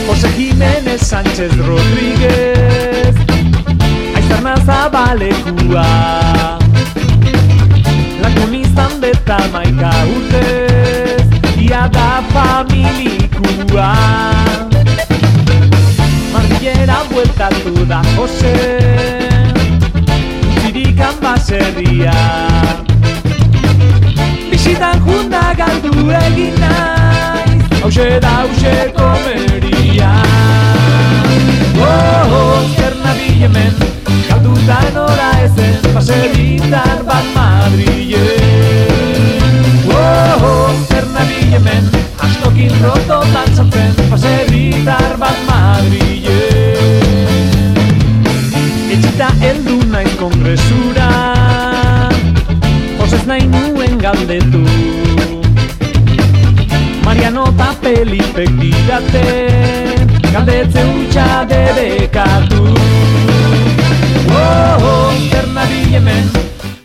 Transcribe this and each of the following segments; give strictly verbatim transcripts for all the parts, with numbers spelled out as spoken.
José Jiménez Sánchez Rodríguez Aizarna Zabalekua Lakunistan beta maika urtez Ia da familikua Madrilera bueltatu da Jose Zirikan baserria Bisitan junda galdu egin naiz Hauxe da hauxe komeria Oh, oh, zer nabil hemen Galduta nora ezen Baserritar bat Madrilen Oh, oh, zer nabil hemen Astokin rototan sartzen Baserritar bat Madrilen Etxita heldu naiz kongresura Josez nahi nuen galdetu Mariano eta Felipek didate Galdetze hutsa debekatu Oh, oh, zer nabil hemen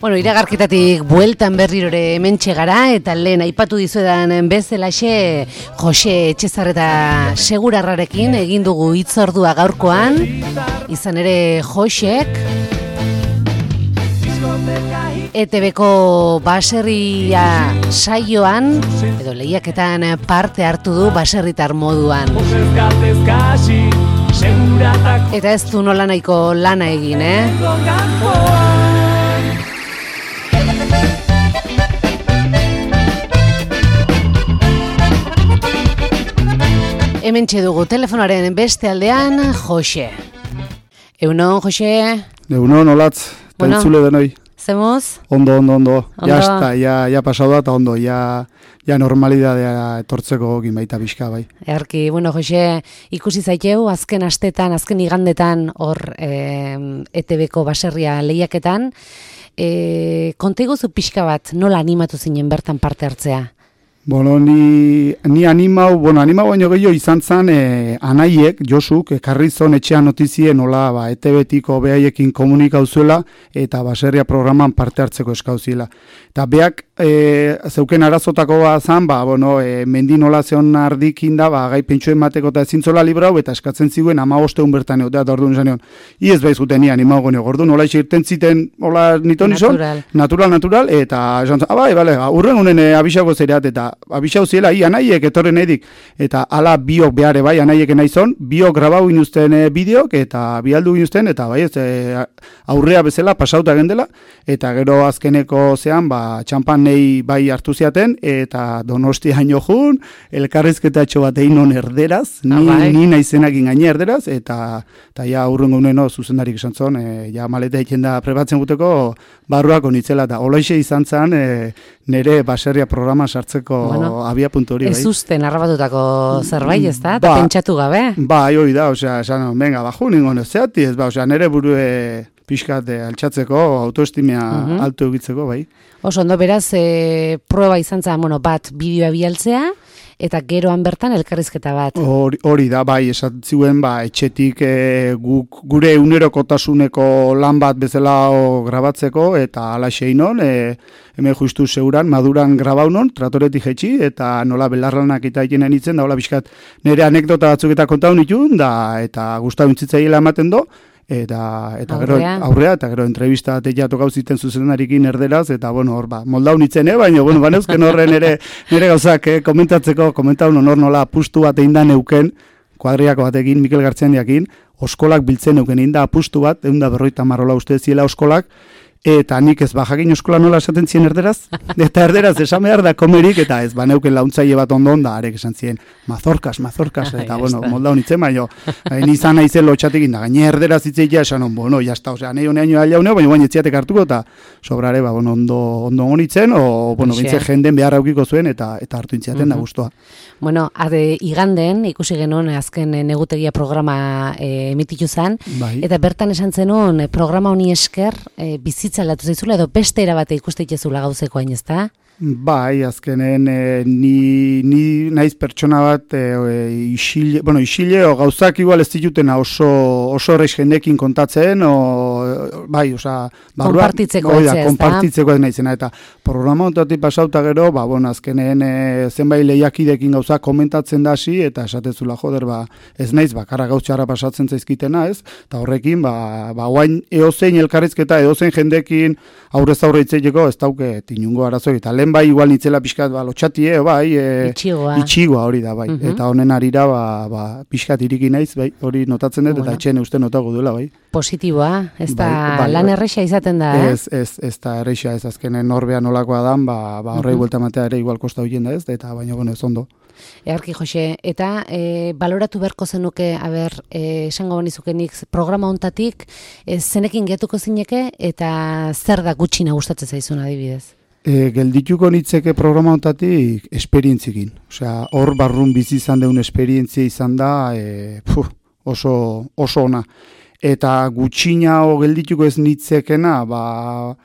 Bueno, iragarketatik bueltan berrirore hementxe gara eta lehen aipatu dizuedan bezalaxe Jose Etxezarreta Segurarrarekin egin dugu hitzordua gaurkoan. Izan ere Josek E T Bko baserria saioan edo lehiaketan parte hartu du baserritar moduan. Eta ez du nola nahiko lana egin, eh? Hementxe dugu telefonaren beste aldean Jose. Eunon, Jose? Eunon, olatz, eta bueno, entzule denoi. Zemuz? Ondo, ondo, ondo. Ondo. Ja, esta, ja, ja pasau da, eta ondo, ja, ja normalidadea etortzeko gin baita pixka, bai. Earki, bueno, Jose, ikusi zaiteu, azken astetan, azken igandetan, hor eh, E T Bko baserria lehiaketan, eh, konta iguzu pixka bat, nola animatu zinen bertan parte hartzea? Bueno, ni, ni animau, bueno, animau baino gehiago izan zen eh, anaiek, Josuk, ekarri zon etxean notizie nola ba, E T Btiko behaiekin komunikau zuela eta baserria programan parte hartzeko eskauziela. Eta beak e, zeuken arazotako bat zan, ba, bueno, e, mendi nola zeon ardikin da, ba, gai pentsuen mateko eta ezintzola librau, eta eskatzen ziguen ama bosteun bertan egotea, eta orduan izan egon, iez behar zuten ni animau gone, orduan nola irten ziten, hola niton izan, Natural. natural, natural, eta esan zen, ah, bai, bale, urren unen e, abixago zereat, eta abixau ziela, i anaiek etorren edik, eta ala biok behare bai, anaiek naizon, biok grabau inuzten e, bideok, eta bialdu inuzten, eta bai, ez, e, aurrea bezala, pasauta gendela, eta gero azkeneko zean, ba, txampan nei bai hartu ziaten, eta Donostia haino jun, elkarrizketatxo bat egin non erderaz, ni, ah, bai. ni naizenakin gaine erderaz, eta, eta ja urrengo uneno zuzendarik esan zon, e, ja maleta egiten da prebatzen guteko, barruak onitzela, eta holoixe izan zen, e, nire baserria programa sartzeko bueno, abia puntu hori. Ez bai. usten arrabatutako zerbait, ez da? Eta Ba, pentsatu gabe? Ba, hori da, osea, esan, venga, baju ningon ez zeati, ez ba, osea, nire burue pixkat e, altxatzeko, autoestimea Mhm. altu egitzeko, bai. Oso, ondo beraz, e, proba izan zen, bueno, bat bideoa bialtzea, eta geroan bertan elkarrizketa bat. Hori, hori da, bai, esan ziuen, ba, etxetik e, guk, gure unerokotasuneko lan bat bezala o, grabatzeko, eta ala xeinon, e, hemen justu seguran, maduran grabaunon, tratoretik jetxi, eta nola belarlanak eta eginen itzen, da hola bizkat nire anekdota batzuk eta kontaun itun, da, eta gustau intzitzaiela ematen do, eta eta gero Aurrea. aurrea eta gero entrevista teia tokau ziten zuzendarekin erderaz eta bueno hor ba moldaun itzen eh baina bueno baneuzken horren ere nere gauzak eh, komentatzeko komentaun honor nola apustu bat egin da neuken kuadriako batekin Mikel Gartzendiakin oskolak biltzen neuken egin da apustu bat ehun eta berrogeita hamar hola uste ziela oskolak eta nik ez bajakin eskola nola esaten zien erderaz, eta erderaz esan behar da komerik, eta ez baneuken launtzaile bat ondo onda, arek esan zien, mazorkas, mazorkas, eta bueno, moldaun itzen baino, hain izan naizen lotxatekin da, gaine erderaz itzeitea esan on, bueno, jazta, osea, nahi honean joa jauneo, baina baina etziatek hartuko, eta sobrare, ba, bueno, ondo, ondo onitzen, o, bueno, bintze jenden behar aukiko zuen, eta eta hartu intziaten da guztua. Bueno, ade iganden, ikusi genuen azken negutegia programa e, emititu zen, bai. Eta bertan esan zenuen, programa honi esker, e, bizitza hitz aldatu zaizula edo beste erabate ikusteitezula gauzeko hain, ezta? Bai, azkenen e, ni, ni naiz pertsona bat e, e, isile, bueno, isile o gauzak igual ez ditutena oso oso horreiz jendekin kontatzen, o, bai, oza, barruan, konpartitzeko oida, ez da? konpartitzeko ez naizena, eta programa ontatik pasauta gero, ba, bueno, azkenen e, zenbait lehiakidekin gauzak komentatzen da hasi, eta esatezula joder, ba, ez naiz, bakarra gauztxarra pasatzen zaizkitena, ez, eta horrekin, ba, ba, oain eozein elkarrizketa, eozein jendekin aurrez aurre itzeiteko, ez dauke tinungo arazo, eta lehen bai igual nitzela pixkat ba, lotxatie, bai, e, itxigoa. itxigoa hori da, bai, Uh-huh. eta honen arira ba, ba, pixkat iriki naiz, bai, hori notatzen dut, Bueno. eta etxen uste notago duela, bai. Positiboa, ez da Bai, bai, lan bai. erresa izaten da, eh? Ez, ez, ez da erreixa, ez azkenen norbean nolakoa dan, ba, ba horrei Mhm. buelta matea ere igual kosta hoien da ez, eta baina, bueno, ez ondo. Earki Jose, eta e, baloratu beharko zenuke, aber, e, esango banizukenik programa hontatik, e, zenekin getuko zineke, eta zer da gutxina gustatzen zaizun adibidez? E, geldituko nitzeke programa hontatik esperientzikin. Osea, hor barrun bizi izan deun esperientzia izan da e, puh, oso, oso ona. Eta gutxina o geldituko ez nitzekena, ba,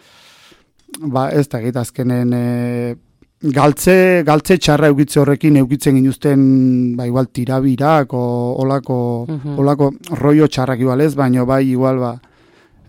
ba ez da gita azkenen e, galtze, galtze txarra eukitze horrekin eukitzen ginuzten ba, igual tirabirak o olako, Mhm. olako rollo txarrak igual ez, baino bai igual ba,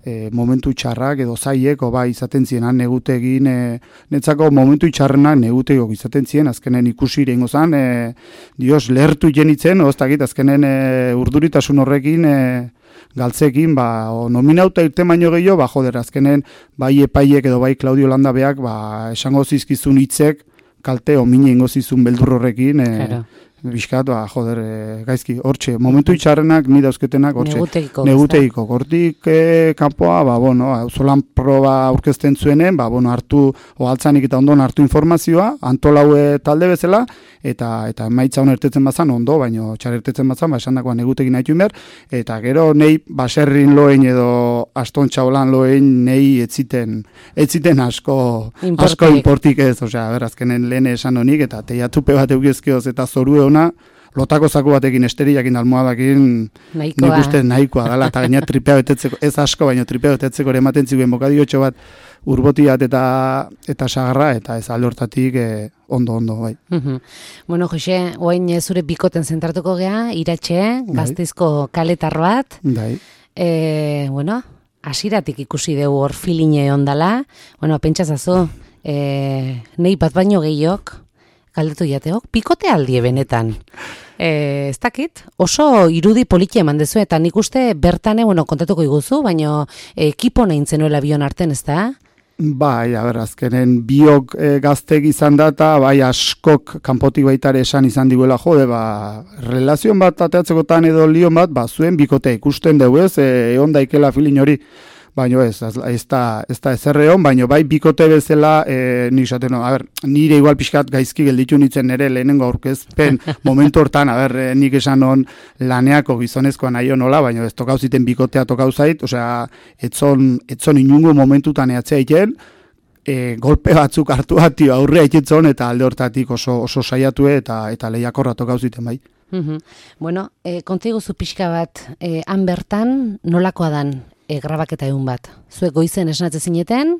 e, momentu txarrak edo zaiek, o bai izaten zienan negutegin, e, netzako momentu txarrenak negutegok izaten zien, azkenen ikusi irengo zan, e, dios, lehertu jenitzen, oztakit, azkenen e, urduritasun horrekin, e, galtzekin, ba, o nominauta irten baino gehiago, ba, joder, azkenen, bai epaiek edo bai Claudio Landabeak, ba, esango zizkizun hitzek, kalte o mine ingo zizun beldur horrekin, e, Claro. Bizkat, ba, joder, e, gaizki, hortxe, momentu itxarrenak, ni dauzketenak, hortxe, Negutegiko. negutegiko, gortik e, kanpoa, ba, bueno, auzolan proba aurkezten zuenen, ba, bueno, hartu, o altzanik eta ondon hartu informazioa, antolaue talde bezala, eta eta emaitza hon ertetzen bazan, ondo, baino txar ertetzen bazan, ba, esan dakoa negutegin nahi behar, eta gero nei baserrin loen edo aston txaulan loen nei etziten, etziten asko, Inportik. asko inportik ez, osea, berazkenen lehen esan honik, eta teiatupe bat eugizkioz eta zorue ona, lotako zaku batekin esteriakin almohadakin Nahikoa. nik uste nahikoa dela, eta gaina tripea betetzeko, ez asko, baina tripea betetzeko ere ematen ziguen bokadiotxo bat urbotiat eta eta sagarra, eta ez alde hortatik eh, ondo, ondo, bai. Mhm. Bueno, Jose, oain eh, zure bikoten zentratuko gea, Iratxe, Gasteizko kaletar bat, Dai. e, bueno, hasiratik ikusi dugu hor filine ondala, bueno, pentsazazu, e, nei bat baino gehiok, galdetu jateok, bikote aldie benetan. E, ez dakit, oso irudi politia eman dezu, eta nik uste bertane, bueno, kontatuko iguzu, baino ekipo nahin zenuela bion arten, ez da? Bai, a ber, azkenen biok e, gaztek izan da, eta bai askok kanpotik baitare esan izan diguela, jode, ba, relazion bat ateatzekotan edo lion bat, ba, zuen bikote ikusten dugu ez, e, egon daikela filin hori, baino ez, ez, ez da, ez da ezerre hon, baino bai bikote bezala, e, nik esaten, no, a ber, nire igual pixkat gaizki gelditu nintzen nire lehenengo aurkezpen momentu hortan, a ber, e, nik esan hon laneako gizonezkoa nahi nola, baino ez tokau ziten bikotea tokau zait, osea, etzon, etzon inungo momentutan eatzea iten, e, golpe batzuk hartu hati aurrea itetzon, eta alde hortatik oso, oso saiatu eta eta lehiakorra tokau ziten bai. Mhm. Bueno, e, kontiguzu pixka bat, e, han bertan nolakoa dan e, grabaketa egun bat? Zuek goizen esnatze zineten?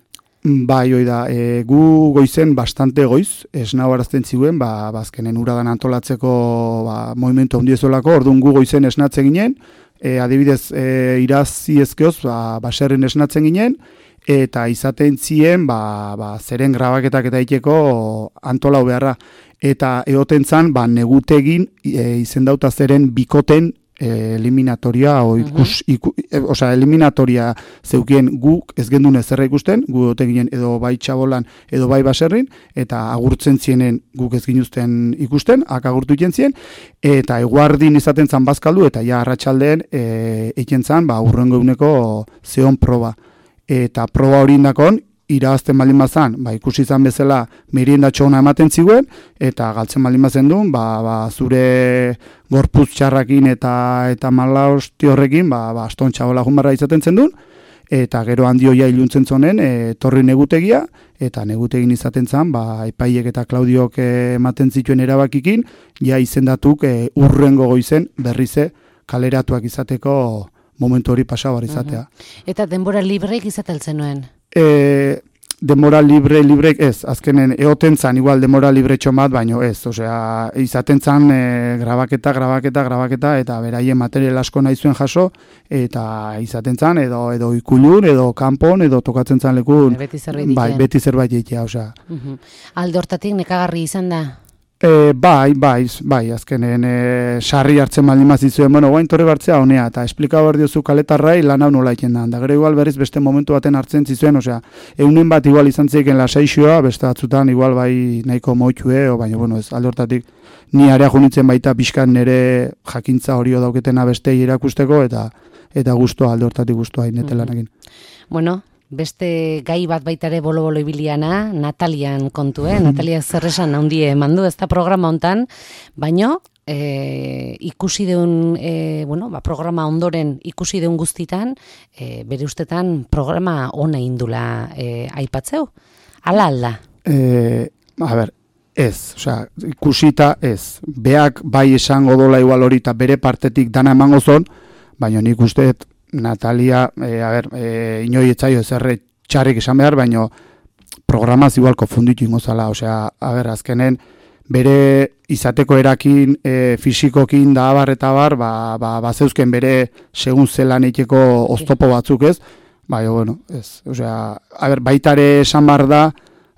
Bai, hoi da, e, gu goizen bastante goiz, esnau arazten ziguen, ba, bazkenen uradan antolatzeko ba, movimentu handiezolako, orduan gu goizen esnatzen ginen, e, adibidez, e, irazi ezkeoz, ba, baserrin esnatzen ginen, eta izaten zien, ba, ba, zeren grabaketak eta iteko antolau beharra. Eta egoten zan, ba, negutegin e, izendauta zeren bikoten e, eliminatoria, o ikus, iku, e, osea, eliminatoria zeukien guk ez gendun ezerra ikusten, gu egoten ginen edo bai txabolan, edo bai baserrin, eta agurtzen zienen guk ez ginuzten ikusten, ak agurtu iten zien, eta eguardin izaten zan bazkaldu, eta ja arratsaldeen e, eken zan, ba, urrengo eguneko zeon proba. Eta proba hori indakon, irabazten baldin bazan, ba, ikusi izan bezala meriendatxo ona ematen ziguen, eta galtzen baldin bazen duen, ba, ba, zure gorputz txarrakin eta eta malaosti horrekin, ba, ba, aston txabola junbarra izaten zen duen, eta gero handioia iluntzen zonen, e, torri negutegia, eta negutegin izaten zen, ba, epaiek eta Klaudiok ematen zituen erabakikin, ja izendatuk e, urrengo goizen berrize kaleratuak izateko momentu hori pasabar izatea. Eta denbora libreik izaten zenuen? e, demora libre, libre, ez, azkenen eoten zan, igual demora libre txomat, baino ez, osea, izaten zan e, grabaketa, grabaketa, grabaketa, eta beraien material asko nahi zuen jaso, eta izaten zan, edo, edo ikulun, edo kanpon, edo tokatzen zan lekun, beti zerbait bai, beti zerbait egitea, osea. Uh-huh. Alde hortatik nekagarri izan da? E, bai, bai, bai, azkenen e, sarri hartzen baldin mazizuen, bueno, guain torre bartzea honea, eta esplika behar diozu kaletarrai lan hau nola iken da. Da gero igual berriz beste momentu baten hartzen zizuen, osea, eunen bat igual izan zeiken lasaixoa, beste batzutan igual bai nahiko moitxue, o baina, bueno, ez, alde hortatik, ni area junitzen baita pixkan nire jakintza hori dauketena beste irakusteko, eta eta guztua, alde hortatik guztua inetelanekin. Bueno, beste gai bat baitare bolo-bolo ibiliana, Natalian kontu, eh? Natalia zerresan handie emandu ez da programa hontan, baino e, ikusi deun, e, bueno, ba, programa ondoren ikusi deun guztitan, e, bere ustetan programa ona indula e, aipatzeu? Ala alda? E, a ber, ez, osea, ikusita ez. Beak bai esango dola igual hori eta bere partetik dana emango zon, baina nik usteet Natalia, e, a ber, e, inoi etzaio ezerre txarrik esan behar, baina programaz igual konfunditu ingozala, osea, a ber, azkenen, bere izateko erakin, e, fisikokin da abar eta abar, ba, ba, ba zeuzken bere segun zelan eiteko oztopo batzuk ez, baina, bueno, ez, osea, a ber, baitare esan bar da,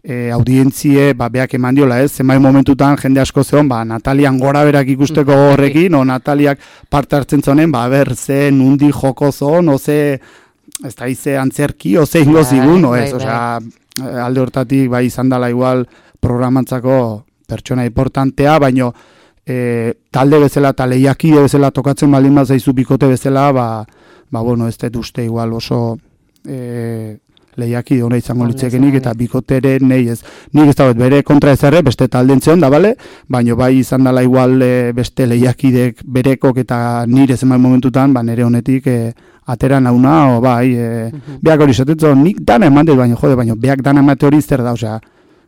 e, audientzie, ba, beak eman diola ez, zenbait momentutan jende asko zeon, ba, Natalian gora berak ikusteko horrekin, o Nataliak parte hartzen zonen, ba, ber, ze nundi joko zon, o ze, ez da ize antzerki, o ze ingo zigun, o ez, osea, alde hortatik, bai, izan dela igual programantzako pertsona importantea, baino, e, talde bezala, eta lehiakide bezala tokatzen baldin bat zaizu bikote bezala, ba, ba, bueno, ez dut uste igual oso, e, lehiaki hona izango litzekenik eta bikotere nei ez. Nik ez dagoet bere kontra ezerre, beste talden zeon da, bale? Baina bai izan dela igual e, beste lehiakidek berekok eta nire zenbait momentutan, ba nire honetik e, atera nauna, o bai, e, uh-huh. Beak hori esatetzo, nik dana eman dut, baina jode, baina beak dana emate hori zer da, osea,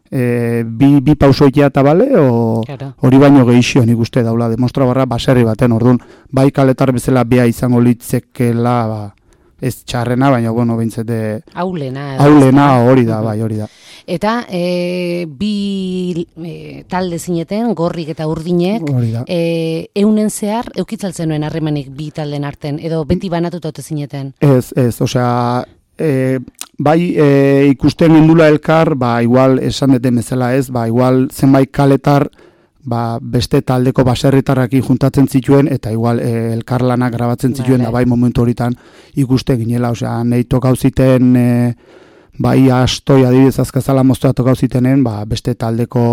e, bi, bi pausoitea eta bale, o hori baino gehixio nik uste daula, demostra barra baserri baten, orduan, bai kaletar bezala bea izango litzekela, ba, ez txarrena, baina, bueno, bintzete... Aulena. Aulena hori da, bai, hori da. Eta e, bi e, talde zineten, gorrik eta urdinek, e, eunen zehar, eukitzaltzen nuen harremanik bi talden arten, edo beti banatuta ote zineten? Ez, ez, osea, e, bai e, ikusten gendula elkar, ba, igual esan deten bezala ez, ba, igual zenbait kaletar, ba, beste taldeko baserritarrakin juntatzen zituen, eta igual e, elkarlanak grabatzen zituen, da bai momentu horitan ikuste ginela, osea, nahi tokau ziten, e, bai astoi adibidez azkazala moztua tokau zitenen, ba, beste taldeko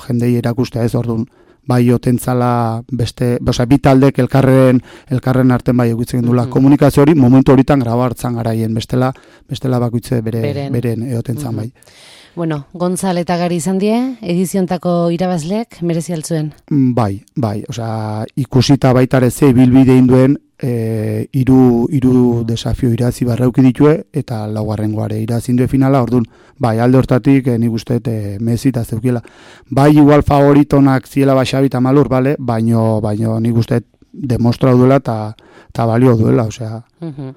jendei erakustea ez, orduan, bai otentzala beste, osea, bi taldek elkarren, elkarren arten bai egutzen dula. Mm-hmm. Komunikazio hori momentu horitan graba hartzan garaien, bestela, bestela bakoitze bere, beren, beren eotentzan mm-hmm. bai. Bueno, Gontzal eta Gari izan die, ediziontako irabazlek merezi altzuen? Bai, bai, osea, ikusita baitare ze bilbide induen, e, iru, iru desafio irazi barrauki ditue, eta laugarrengoare irazi indue finala, orduan, bai, alde hortatik, e, nik uste, e, mezita zeukiela. Bai, igual favoritonak ziela Baxabi eta Malur, bale, baino, baino nik uste, demostra duela eta balio duela, osea. Uh-huh.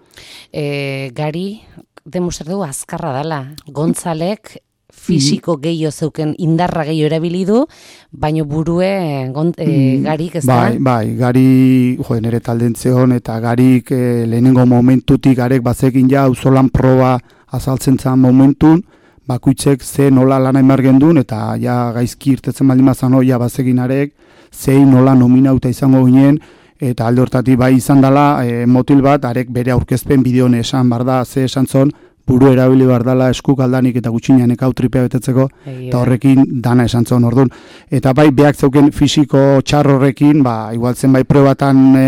e, Gari, demostra du azkarra dela, Gontzalek, fisiko gehiago zeuken indarra gehiago erabili du, baino burue gont, e, garik ez da? Bai, bai, gari, jo, nire taldentzeon, eta garik e, lehenengo momentutik garek bazekin ja, auzolan proba azaltzen zan momentun, bakuitzek ze nola lana emargen duen, eta ja gaizki irtetzen baldin mazan ja bazekin arek, zein nola nominauta izango ginen, eta alde hortatik bai izan dela e, motil bat, arek bere aurkezpen bideone esan bar da, ze esan zon, buru erabili behar dela eskuk aldanik eta gutxinean ekau tripea betetzeko, eta horrekin dana esan zon orduan. Eta bai, beak zeuken fisiko txar horrekin, ba, igual zenbait probatan e,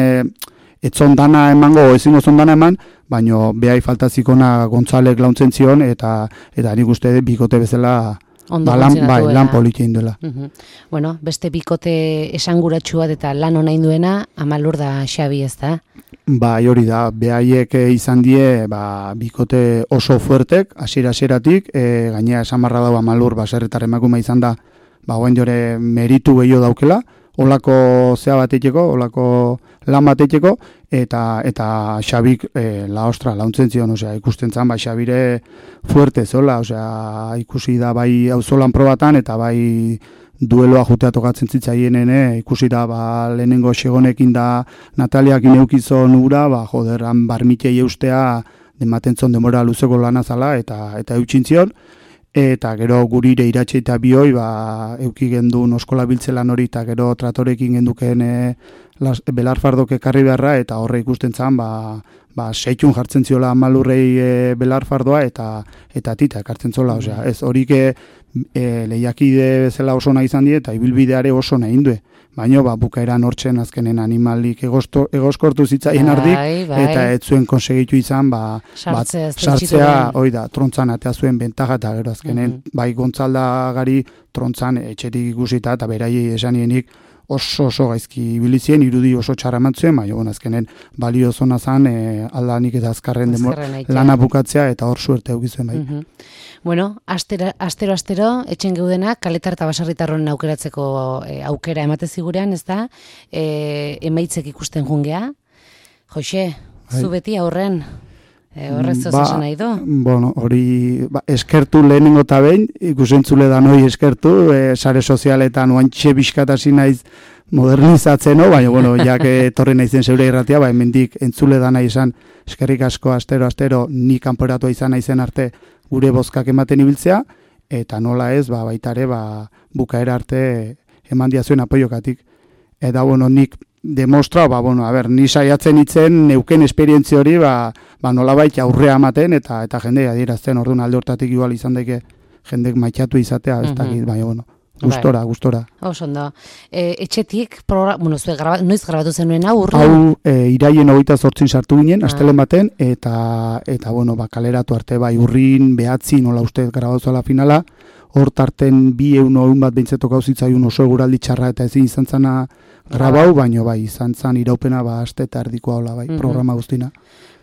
etzon dana emango, ezingo zon dana eman, baino behai faltazikona Gontzalek launtzen zion, eta eta nik uste bikote bezala ba, lan, bai, lan politia induela. Uh-huh. Bueno, beste bikote esanguratsu bat eta lan ona induena, Amalur da Xabi ez da? Bai, hori da, behaiek izan die ba, bikote oso fuertek, hasiera-hasieratik, e, gainera esan barra dago Amalur, baserritar emakume izan da, ba, guen jore meritu gehiago daukela, olako zea bat eiteko, olako lan bat eiteko, eta, eta Xabik e, la ostra, launtzen zion, osea, ikusten zan, bai Xabire fuerte zola, osea, ikusi da bai auzolan probatan, eta bai dueloa jutea tokatzen zitzaienene, ikusi da, ba, lehenengo Xegonekin da Nataliak ineukizon ura, ba, joder, han barmitei eustea, dematen zon demora luzeko lana zala, eta, eta eutxintzion, eta gero gurire iratxe eta bioi, ba, euki gendun oskola biltzelan hori, eta gero tratorekin genduken e, las, belarfardok ekarri beharra, eta horre ikusten zan, ba, ba, seitxun jartzen ziola malurrei e, belarfardoa, eta eta tita ekartzen zola, osea, ez horik e, lehiakide bezala oso nahi izan die, eta ibilbideare oso nahi indue. Baina, ba, bukaeran hortzen azkenen animalik egosto, egoskortu zitzaien ardik, bai, bai. Eta ez zuen konsegitu izan, ba, sartzea, bat, sartzea hoi da, trontzan atea zuen bentaja, eta gero azkenen, mm-hmm. bai gontzaldagari trontzan etxetik ikusita, eta beraiei esanienik oso oso gaizki ibilizien, irudi oso txaramantzuen, baina, bon, azkenen balio zona zan, e, aldanik eta azkarren demor, lana bukatzea, eta hor suerte eukizuen bai. Mm-hmm. Bueno, astero, astero, astero, etxen geudenak, kaletar eta basarritarron aukeratzeko e, aukera emate zigurean, ez da? E, emaitzek ikusten jungea. Joxe, zu beti aurren, e, horrez zoz ba, esan nahi do? Bueno, hori, ba, eskertu lehenengo eta behin, ikusentzule da noi eskertu, e, sare sozialetan oantxe bizkatasi naiz modernizatzen, no? Baina, bueno, jak etorri naizen zeure irratia, ba, hemendik entzule da nahi izan, eskerrik asko, astero, astero, ni kanporatua izan naizen arte, gure bozkak ematen ibiltzea, eta nola ez, ba, baitare, ba, bukaera arte eman diazuen apoiokatik. Eta, bueno, nik demostra, ba, bueno, a ber, ni saiatzen itzen, neuken esperientzia hori, ba, ba nola baita aurrea ematen, eta eta jendea adierazten, orduan alde hortatik igual izan daike jendek maitxatu izatea, ez dakit, mm-hmm. baina, bueno. Gustora, bai. gustora. Oso ondo. E, etxetik, progra... bueno, zue, graba... noiz grabatu zenuen hau urru? Hau, e, iraien hogeita zortzin sartu ginen, ah. astelen baten, eta, eta bueno, ba, kaleratu arte, bai, urrin, behatzi, nola uste grabatu finala, hor tarten bi eun eun bat behintzatu gauzitzaiun oso eguraldi txarra, eta ezin izan zana grabau, ah. baino, bai, izan zan iraupena, ba, aste eta erdikoa hola, bai, mm-hmm. programa guztina.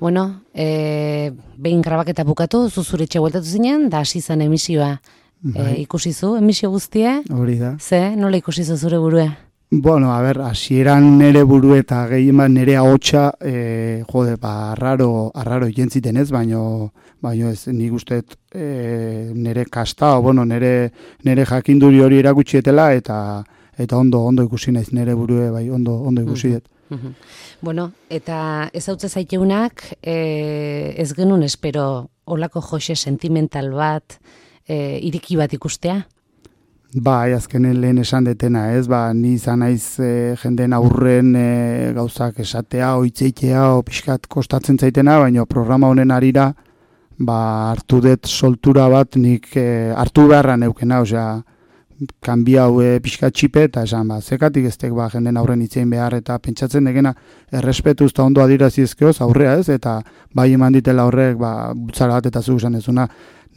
Bueno, e, behin grabaketa bukatu, zuzure etxe bueltatu zinen, da hasi zen emisioa. E, ikusi zu, emisio guztie? Hori da. Ze, nola ikusi zu zure burue? Bueno, a ber, hasieran nere buru eta gehieman nere ahotsa, e, jode, ba, arraro, arraro jentziten ez, baino, baino ez, nik usteet e, nere kasta, o, bueno, nere, nere jakinduri hori erakutsietela, eta eta ondo, ondo ikusi naiz nere burue, bai, ondo, ondo ikusi dut. Mm-hmm. Bueno, eta ez hautze zaiteunak, e, ez genuen espero olako Joxe sentimental bat, E, iriki bat ikustea? Ba, azkenen lehen esan detena, ez? Ba, ni izan naiz e, jenden aurren e, gauzak esatea, oitzeitea, o pixkat kostatzen zaitena, baina programa honen arira, ba, hartu dut soltura bat, nik e, hartu beharra neukena, osea, kanbiau e, pixkat txipe, eta esan, ba, zekatik eztek, ba, jenden aurren itzein behar, eta pentsatzen degena, errespetuz eta ondo adirazizkeoz, aurrea ez, eta bai eman ditela horrek, ba, butzara bat eta zu esan ezuna,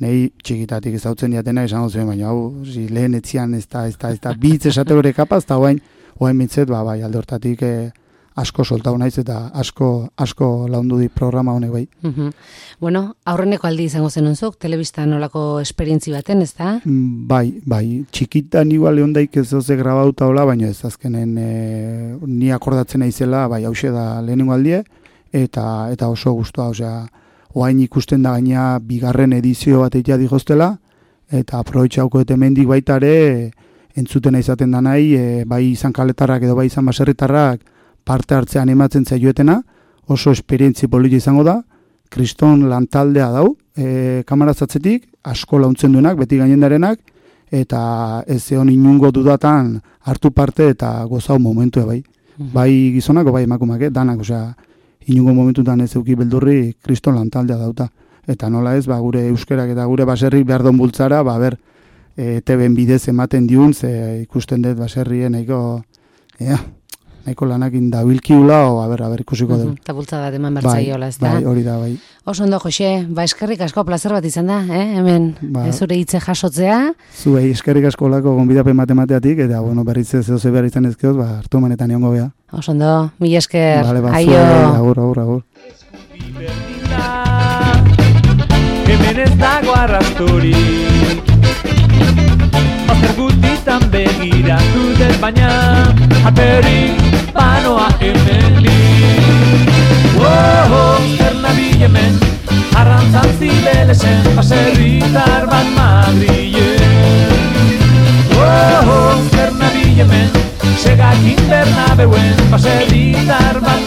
nei txikitatik ezautzen diatena esango zuen, baina hau, zi, lehen etzian ez da, ez da, ez da, bitz esate hori kapaz, eta hoain, hoain mitzet, ba, bai, alde hortatik eh, asko soltau naiz, eta asko, asko laundu di programa honek, bai. Mm-hmm. Bueno, aurreneko aldi izango zenonzuk, telebistan nolako esperientzi baten, ez da? Bai, bai, txikitan igual egon daik ez doze grabauta hola, baina ez azkenen e, ni akordatzen naizela, bai, hause da lehenengo aldie, eta, eta oso guztua, osea, oain ikusten da gaina bigarren edizio bat egitea digostela, eta aprobetxauko eta hemendik baita ere entzutena izaten da nahi, e, bai izan kaletarrak edo bai izan baserritarrak parte hartzean ematzen zaioetena, oso esperientzi politi izango da, kriston lantaldea dau, e, kamarazatzetik, asko launtzen duenak, beti gainendarenak, eta ez egon inungo dudatan hartu parte eta gozau momentua bai. Mm-hmm. Bai gizonako, bai emakumak, eh? danak, osea, inungo momentutan ez euki beldurri kriston lantaldea dauta. Eta nola ez, ba, gure euskerak eta gure baserrik behar don bultzara, ba, ber, e, teben bidez ematen diun, ze ikusten dut baserrien nahiko, ea, nahiko lanakin dabilkiula, o, a ber, a ber, ikusiko dugu. Eta bultzada deman bertzaiola, ez da? Bai, hori da, bai. Oso ondo, Joxe, ba, eskerrik asko plazer bat izan da, eh? Hemen, ba, zure hitze jasotzea. Zuei, eskerrik asko lako gonbidapen matemateatik, eta, bueno, berritze zehose behar izan ezkeoz, ba, hartu manetan egongo beha. Oso ondo, mila esker, vale, ba, aio. Zuei, agur, agur, agur. Hemen ez dago arrasturi, Azer gutitan begiratu dut baina alperik banoa hemenik. Oh, zer nabil hemen, arrantzan zibelesen, baserritar bat Madrilen. Oh, zer nabil hemen, segakin Bernabeuen, baserritar bat